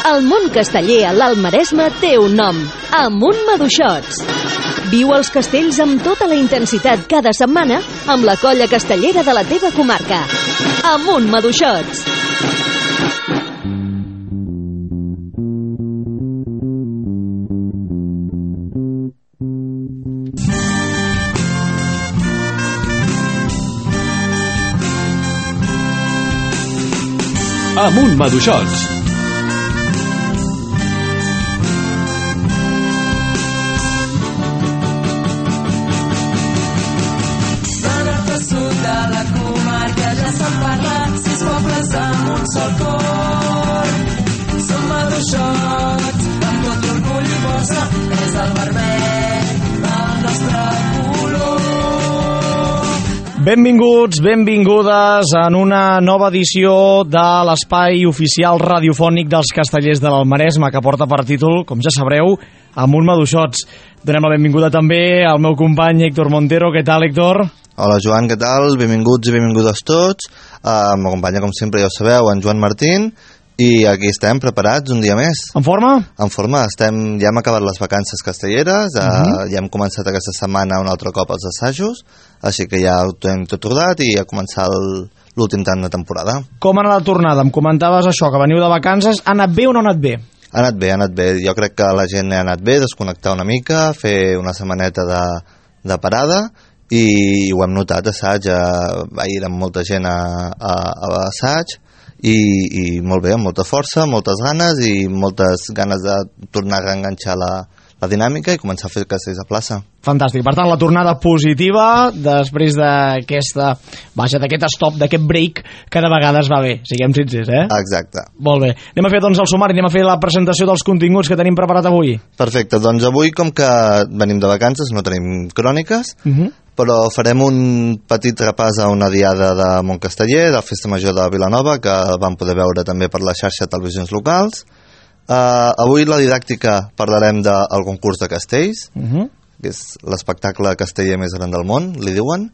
El món casteller a l'Alt Maresme té un nom: Amunt Maduixots. Viu els castells amb tota la intensitat cada setmana amb la colla castellera de la teva comarca. Amunt Maduixots. Amunt Maduixots. Benvinguts, benvingudes en una nova edició de l'espai oficial radiofònic dels Castellers de l'Alt Maresme, que porta per títol, com ja sabreu, Amunt Maduixots. Donem la benvinguda també al meu company Héctor Montero. Què tal, Héctor? Hola, Joan, què tal? Benvinguts i benvingudes tots. M'acompanya, com sempre, ja ho sabeu, en Joan Martín. I aquí estem, preparats un dia més. En forma? En forma. Ja hem acabat les vacances castelleres, ja hem començat aquesta setmana un altre cop els assajos, així que ja ho tenim tot rodat i a començar l'últim tram de temporada. Com ha anat la tornada? Em comentaves això, que veniu de vacances. Ha anat bé o no ha anat bé? Ha anat bé, ha anat bé. Jo crec que la gent ha anat bé, desconnectar una mica, fer una setmaneta de parada, i ho hem notat, assaig. Ahir amb molta gent a l'assaig, i molt bé, amb molta força, moltes ganes i moltes ganes de tornar a reenganxar la dinàmica i començar a fer castells a plaça. Fantàstic, per tant la tornada positiva després d'aquest stop, d'aquest break que de vegades va bé, siguem sincers, eh? Exacte. Molt bé, anem a fer doncs el sumari, anem a fer la presentació dels continguts que tenim preparat avui. Perfecte, doncs avui com que venim de vacances no tenim cròniques, però farem un petit repàs a una diada de Montcasteller, de la Festa Major de Vilanova, que vam poder veure també per la xarxa de televisions locals. Avui la didàctica parlarem del concurs de castells, que és l'espectacle casteller més gran del món, li diuen,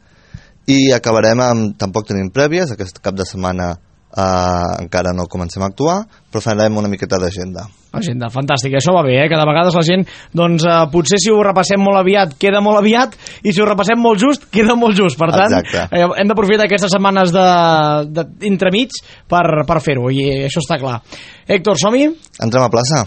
i acabarem amb, tampoc tenim prèvies, aquest cap de setmana encara no comencem a actuar, però farem una miqueta d'agenda. Agenda, fantàstic, això va bé, que de vegades la gent, doncs potser si ho repassem molt aviat, queda molt aviat, i si ho repassem molt just, queda molt just. Per tant, hem d'aprofitar aquestes setmanes d'entremig per fer-ho, i això està clar. Héctor, som-hi? Entrem a plaça.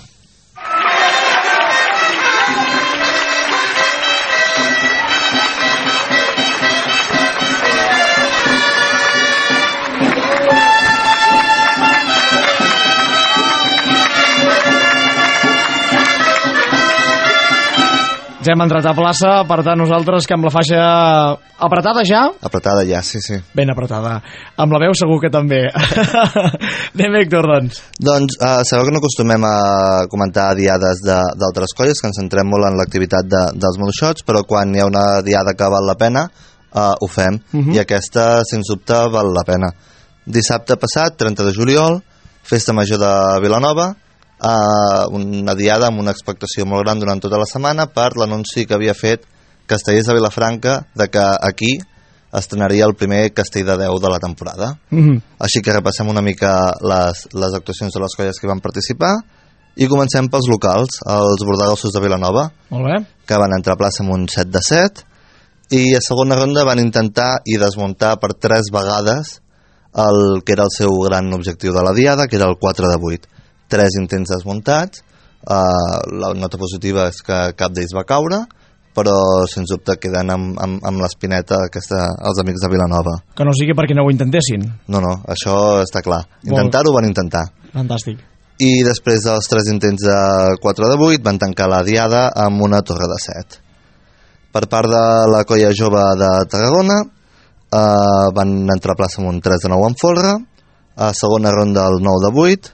Ja hem entrat a plaça, per tant nosaltres que amb la faixa apretada ja? Apretada ja, sí. Ben apretada. Amb la veu segur que també. Anem, Héctor, doncs. Doncs sabeu que no acostumem a comentar diades d'altres colles, que ens centrem molt en l'activitat dels Maduixots, però quan hi ha una diada que val la pena, ho fem, i aquesta, sens dubte, val la pena. Dissabte passat, 30 de juliol, Festa Major de Vilanova, una diada amb una expectació molt gran durant tota la setmana per l'anunci que havia fet Castellers de Vilafranca de que aquí estrenaria el primer castell de 10 de la temporada. Així que repassem una mica les actuacions de les colles que van participar i comencem pels locals, els Bordegassos de Vilanova, que van entrar a plaça amb un 7 de 7, i a segona ronda van intentar i desmuntar per 3 vegades el que era el seu gran objectiu de la diada, que era el 4 de 8. 3 intents desmuntats, la nota positiva és que cap d'ells va caure, però sens dubte queden amb l'espineta els amics de Vilanova. Que no sigui perquè no ho intentessin. No, això està clar. Intentar-ho van intentar. Fantàstic. I després dels 3 intents de 4 de 8 van tancar la diada amb una torre de 7. Per part de la colla jove de Tarragona van entrar a plaça amb un 3 de 9 en folre, a segona ronda el 9 de 8,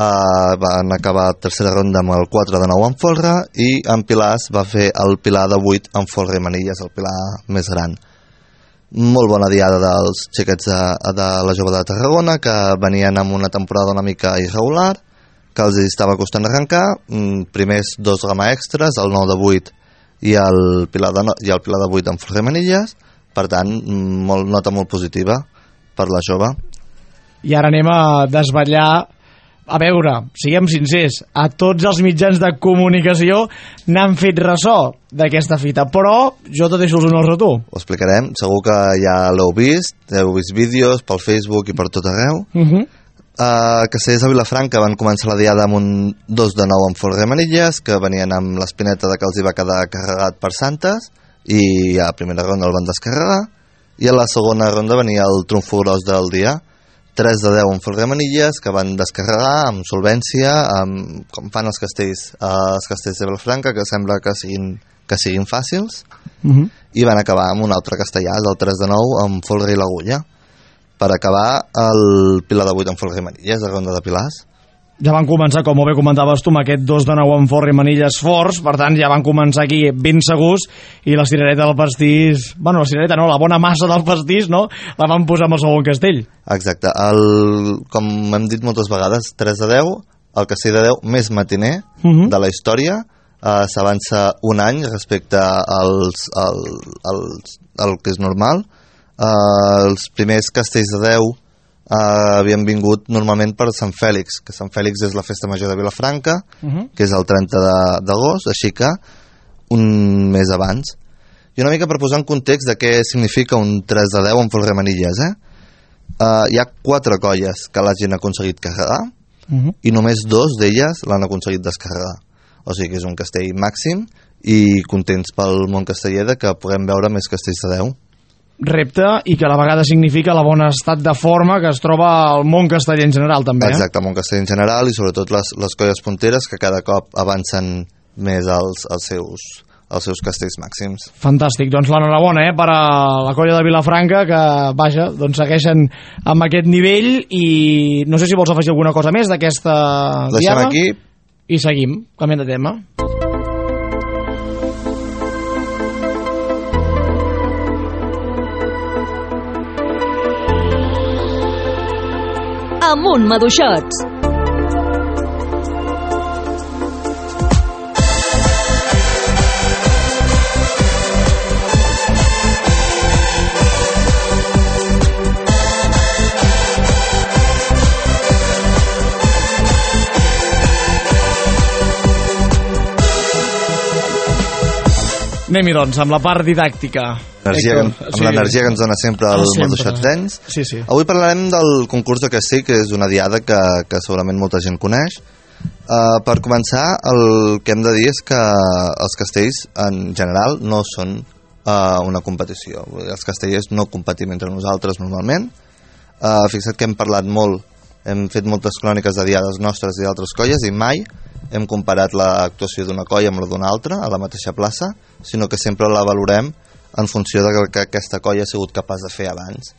van acabar tercera ronda amb el 4 de 9 en folre, i en pilars va fer el pilar de 8 en folre i manilles, el pilar més gran. Molt bona diada dels xiquets de la jove de Tarragona, que venien amb una temporada una mica irregular, que els estava costant arrencar. Primers 2 gama extras, el 9 de 8 i el pilar de 8 en folre i manilles. Per tant, nota molt positiva per la jove. I ara anem a desvetllar a veure, siguem sincers, a tots els mitjans de comunicació n'han fet ressò d'aquesta fita, però jo te deixo els honors a tu. Ho explicarem, segur que ja l'heu vist vídeos pel Facebook i per tot arreu. A Castellers de Vilafranca van començar la diada amb un 2 de 9 amb folre i manilles, que venien amb l'espineta de que els hi va quedar carregat per Santes, i a la primera ronda el van descarregar, i a la segona ronda venia el trumfo gros del dia, 3 de 10 amb folre i manilles, que van descarregar amb solvència, com fan els castells de Vilafranca, que sembla que siguin fàcils, i van acabar amb un altre castellà, el 3 de 9 amb folre i l'agulla, per acabar el Pilar de 8 amb folre i manilles, de ronda de pilars. Ja van començar, com bé comentaves tu, amb aquest 2 de 9 amb folre i manilles forts, per tant ja van començar aquí ben segurs, i la cirereta del pastís, bueno, la cirereta no, la bona massa del pastís, no?, la van posar amb el segon castell. Exacte, com hem dit moltes vegades, 3 de 10, el castell de 10 més matiner de la història, s'avança un any respecte al que és normal. Els primers castells de 10 havien vingut normalment per Sant Fèlix, que Sant Fèlix és la festa major de Vilafranca, que és el 30 d'agost, així que un mes abans. I una mica per posar en context de què significa un 3 de 10 amb folre i manilles, hi ha 4 colles que l'hagin aconseguit carregar, i només 2 d'elles l'han aconseguit descarregar. O sigui que és un castell màxim, i contents pel món casteller de que puguem veure més castells de 10. Repte, i que a la vegada significa la bona estat de forma que es troba al món casteller en general, també. Exacte, el món casteller en general, i sobretot les colles punteres, que cada cop avancen més als seus castells màxims. Fantàstic, doncs l'enhorabona per a la colla de Vilafranca, que vaja, doncs segueixen amb aquest nivell, i no sé si vols afegir alguna cosa més d'aquesta diada. Deixem aquí i seguim, canviant de tema. Amunt Maduixots. Anem-hi, doncs, amb la part didàctica. Amb l'energia que ens dona sempre el Maduixotens. Sí. Avui parlarem del concurs de castell, que és una diada que segurament molta gent coneix. Per començar, el que hem de dir és que els castells, en general, no són una competició. Els castellers no competim entre nosaltres normalment. Fixa't que hem parlat molt, hem fet moltes cròniques de diades nostres i d'altres colles, i mai hem comparat l'actuació d'una colla amb la d'una altra a la mateixa plaça, sinó que sempre la valorem en funció de que aquesta colla ha sigut capaç de fer abans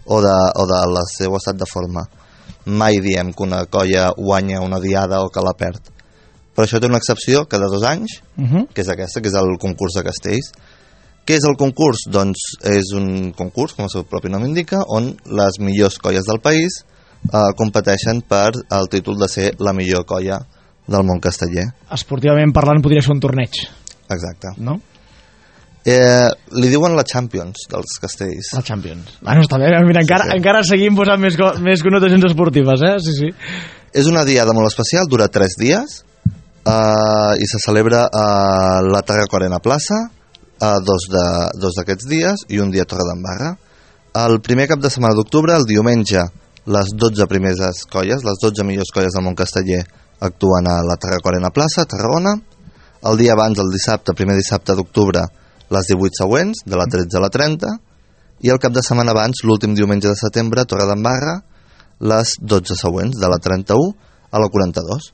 o de la seu estat de forma. Mai diem que una colla guanya una diada o que la perd. Però això té una excepció cada 2 anys, que és aquesta, que és el concurs de castells. Què és el concurs? Doncs és un concurs, com el seu propi nom indica, on les millors colles del país competeixen per el títol de ser la millor colla del món casteller. Esportivament parlant podria ser un torneig. Exacte. No? Li diuen la Champions dels castells. La Champions. Bueno, està bé, mira, encara seguim posant més connotacions esportives, Sí. És una diada molt especial, dura 3 dies, i se celebra a la Tarraco Arena Plaça, 2 d'aquests dies, i un dia a Torredembarra. El primer cap de setmana d'octubre, el diumenge, les 12 primeres colles, les 12 millors colles del món casteller, actuen a la Tarraco Arena Plaça, a Tarragona. El dia abans, el dissabte, primer dissabte d'octubre, les 18 següents, de la 13 a la 30, i el cap de setmana abans, l'últim diumenge de setembre, a Torredembarra, les 12 següents, de la 31 a la 42.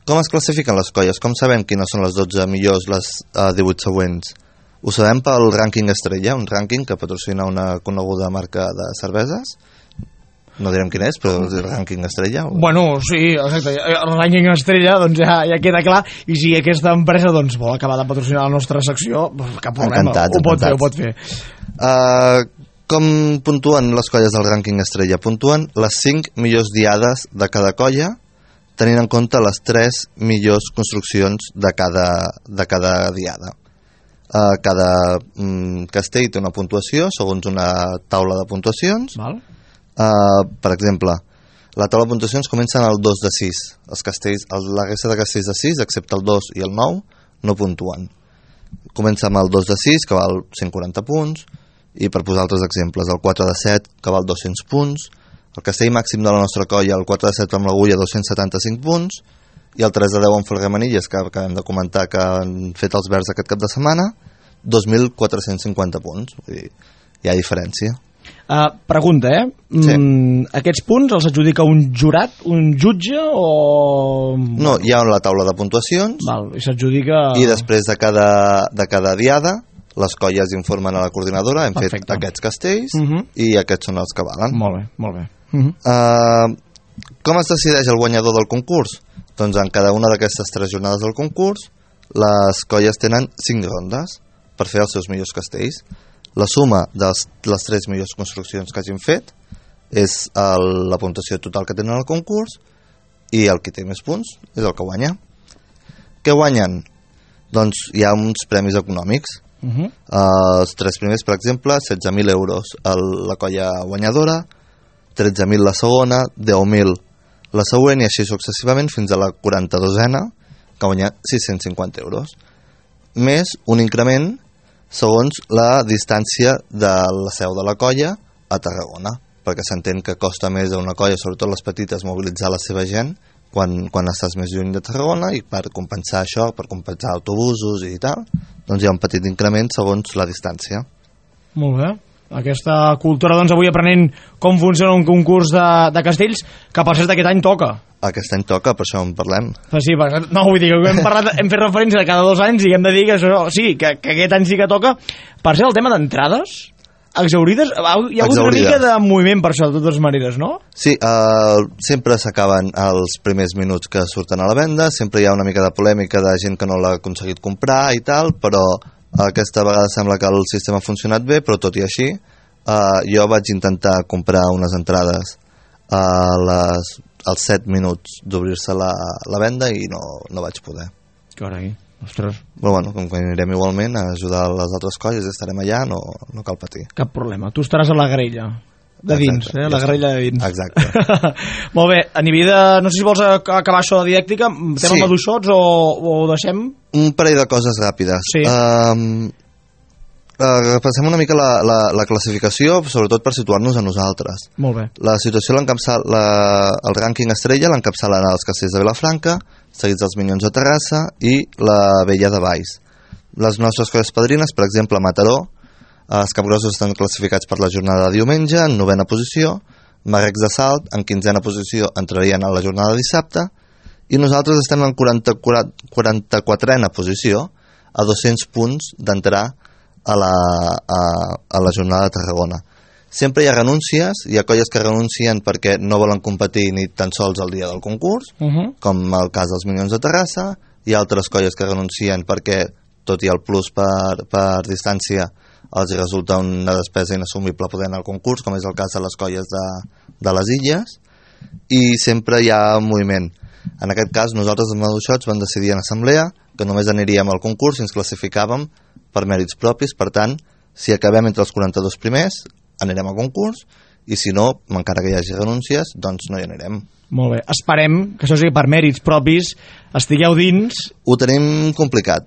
Com es classifiquen les colles? Com sabem quines són les 12 millors, les 18 següents? Ho sabem pel rànquing Estrella, un rànquing que patrocina una coneguda marca de cerveses. No direm quin és, però el rànquing Estrella. Bueno, sí, exacte. El rànquing Estrella doncs ja queda clar, i si aquesta empresa doncs vol acabar de patrocinar la nostra secció, cap problema, ho pot fer. Com puntuen les colles del rànquing Estrella? Puntuen les 5 millors diades de cada colla, tenint en compte les 3 millors construccions de cada diada. Cada castell té una puntuació segons una taula de puntuacions. Val. Per exemple, La taula de puntuacions comença al 2 de 6. Els castells, la resta de castells de 6, excepte el 2 i el 9, no puntuen. Comença amb el 2 de 6, que val 140 punts, i per posar altres exemples, el 4 de 7, que val 200 punts, el castell màxim de la nostra colla, el 4 de 7 amb l'agulla, 275 punts, i el 3 de 10 amb Folguemanilles, que acabem de comentar que han fet els verds aquest cap de setmana, 2.450 punts. Vull dir, hi ha diferència. Pregunta, Sí. Aquests punts els adjudica un jurat, un jutge o... No, hi ha la taula de puntuacions. Val, i s'adjudica... I després de cada diada les colles informen a la coordinadora, hem Perfecte. fet aquests castells i aquests són els que valen. Molt bé. Com es decideix el guanyador del concurs? Doncs en cada una d'aquestes 3 jornades del concurs les colles tenen 5 rondes per fer els seus millors castells. La suma de les 3 millors construccions que hagin fet és la puntuació total que tenen al concurs, i el que té més punts és el que guanya. Què guanyen? Doncs hi ha uns premis econòmics. Els 3 primers, per exemple, 16.000 euros la colla guanyadora, 13.000 la segona, 10.000 la següent, i així successivament fins a la 42a, que guanya 650 euros, més un increment segons la distància de la seu de la colla a Tarragona, perquè s'entén que costa més a una colla, sobretot les petites, mobilitzar la seva gent quan estàs més lluny de Tarragona, i per compensar això, per compensar autobusos i tal, doncs hi ha un petit increment segons la distància. Molt bé. Aquesta cultura, doncs, avui aprenent com funciona un concurs de castells, que per cert aquest any toca. Aquest any toca, per això en parlem. Sí, no, vull dir que hem fet referència a cada 2 anys i hem de dir que això, sí, que aquest any sí que toca. Per cert, el tema d'entrades exaurides, hi ha hagut una mica de moviment per això, de totes maneres, no? Sí, sempre s'acaben els primers minuts que surten a la venda, sempre hi ha una mica de polèmica de gent que no l'ha aconseguit comprar i tal, però aquesta vegada sembla que el sistema ha funcionat bé, però tot i així jo vaig intentar comprar unes entrades als 7 minuts d'obrir-se la venda i no vaig poder. Carai, ostres. Però bueno, com que anirem igualment a ajudar les altres colles, estarem allà, no cal patir. Cap problema, tu estaràs a la grella de dins, la grella de dins. Exacte. Molt bé, a nivell de... No sé si vols acabar això de didàctica, tema maduixots o ho deixem? Un parell de coses ràpides. Sí. Repassem una mica la classificació, sobretot per situar-nos a nosaltres. Molt bé. La situació el rànquing estrella l'encapçalen els castells de Vilafranca, seguits dels Minyons de Terrassa i la Vella de Valls. Les nostres colles padrines, per exemple, Mataró, els Capgrossos estan classificats per la jornada de diumenge en 9a posició, Marrecs de Salt en 15a posició entrarien a la jornada de dissabte, i nosaltres estem en 44a posició, a 200 punts d'entrar a la jornada de Tarragona. Sempre hi ha renúncies, hi ha colles que renuncien perquè no volen competir ni tan sols el dia del concurs, com el cas dels Minyons de Terrassa. Hi ha altres colles que renuncien perquè, tot i el plus per distància, els resulta una despesa inassumible poder anar al concurs, com és el cas de les colles de les Illes, i sempre hi ha moviment. En aquest cas, nosaltres els Maduixots vam decidir en assemblea que només aniríem al concurs si ens classificàvem per mèrits propis. Per tant, si acabem entre els 42 primers, anirem al concurs, i si no, encara que hi hagi renúncies, doncs no hi anirem. Molt bé, esperem que això sigui per mèrits propis, estigueu dins... Ho tenim complicat,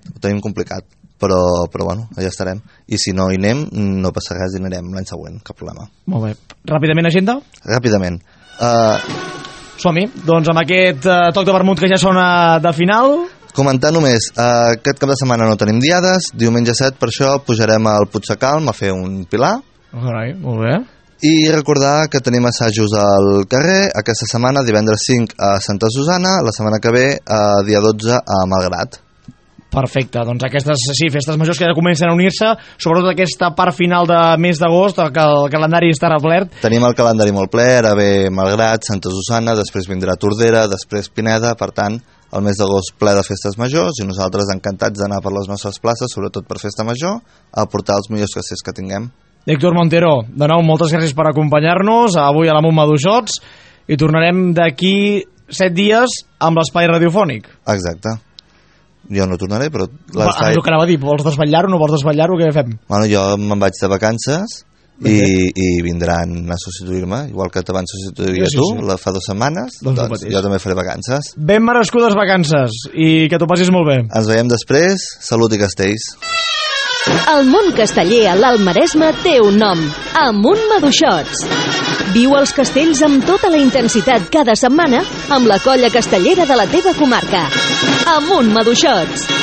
però bueno, allà estarem. I si no hi anem, no passa res, hi anirem l'any següent, cap problema. Molt bé. Ràpidament, agenda? Ràpidament. Som-hi. Doncs amb aquest toc de vermut que ja sona de final... Comentar només, aquest cap de setmana no tenim diades, diumenge 7 per això pujarem al Puigsecalm a fer un pilar. Carai, molt bé. I recordar que tenim assajos al carrer, aquesta setmana, divendres 5 a Santa Susana, la setmana que ve, dia 12 a Malgrat. Perfecte, doncs aquestes festes majors que ja comencen a unir-se, sobretot aquesta part final de mes d'agost, que el calendari està replet. Tenim el calendari molt ple, ara ve Malgrat, Santa Susana, després vindrà Tordera, després Pineda, per tant, el mes d'agost ple de festes majors, i nosaltres encantats d'anar per les nostres places, sobretot per festa major, a portar els millors castells que tinguem. Héctor Montero, de nou, moltes gràcies per acompanyar-nos avui a la Munt Maduixots, i tornarem d'aquí 7 dies amb l'espai radiofònic. Exacte. Jo no tornaré, però... El que anava a dir, vols desvetllar-ho o no vols desvetllar-ho, què fem? Bueno, jo me'n vaig de vacances i vindran a substituir-me, igual que te van substituir tu fa 2 setmanes, doncs jo també faré vacances. Ben merescudes vacances i que t'ho passis molt bé. Ens veiem després, salut i castells. El món casteller a l'Alt Maresme té un nom, Amunt Maduixots. Viu els castells amb tota la intensitat cada setmana amb la colla castellera de la teva comarca. Amunt Maduixots.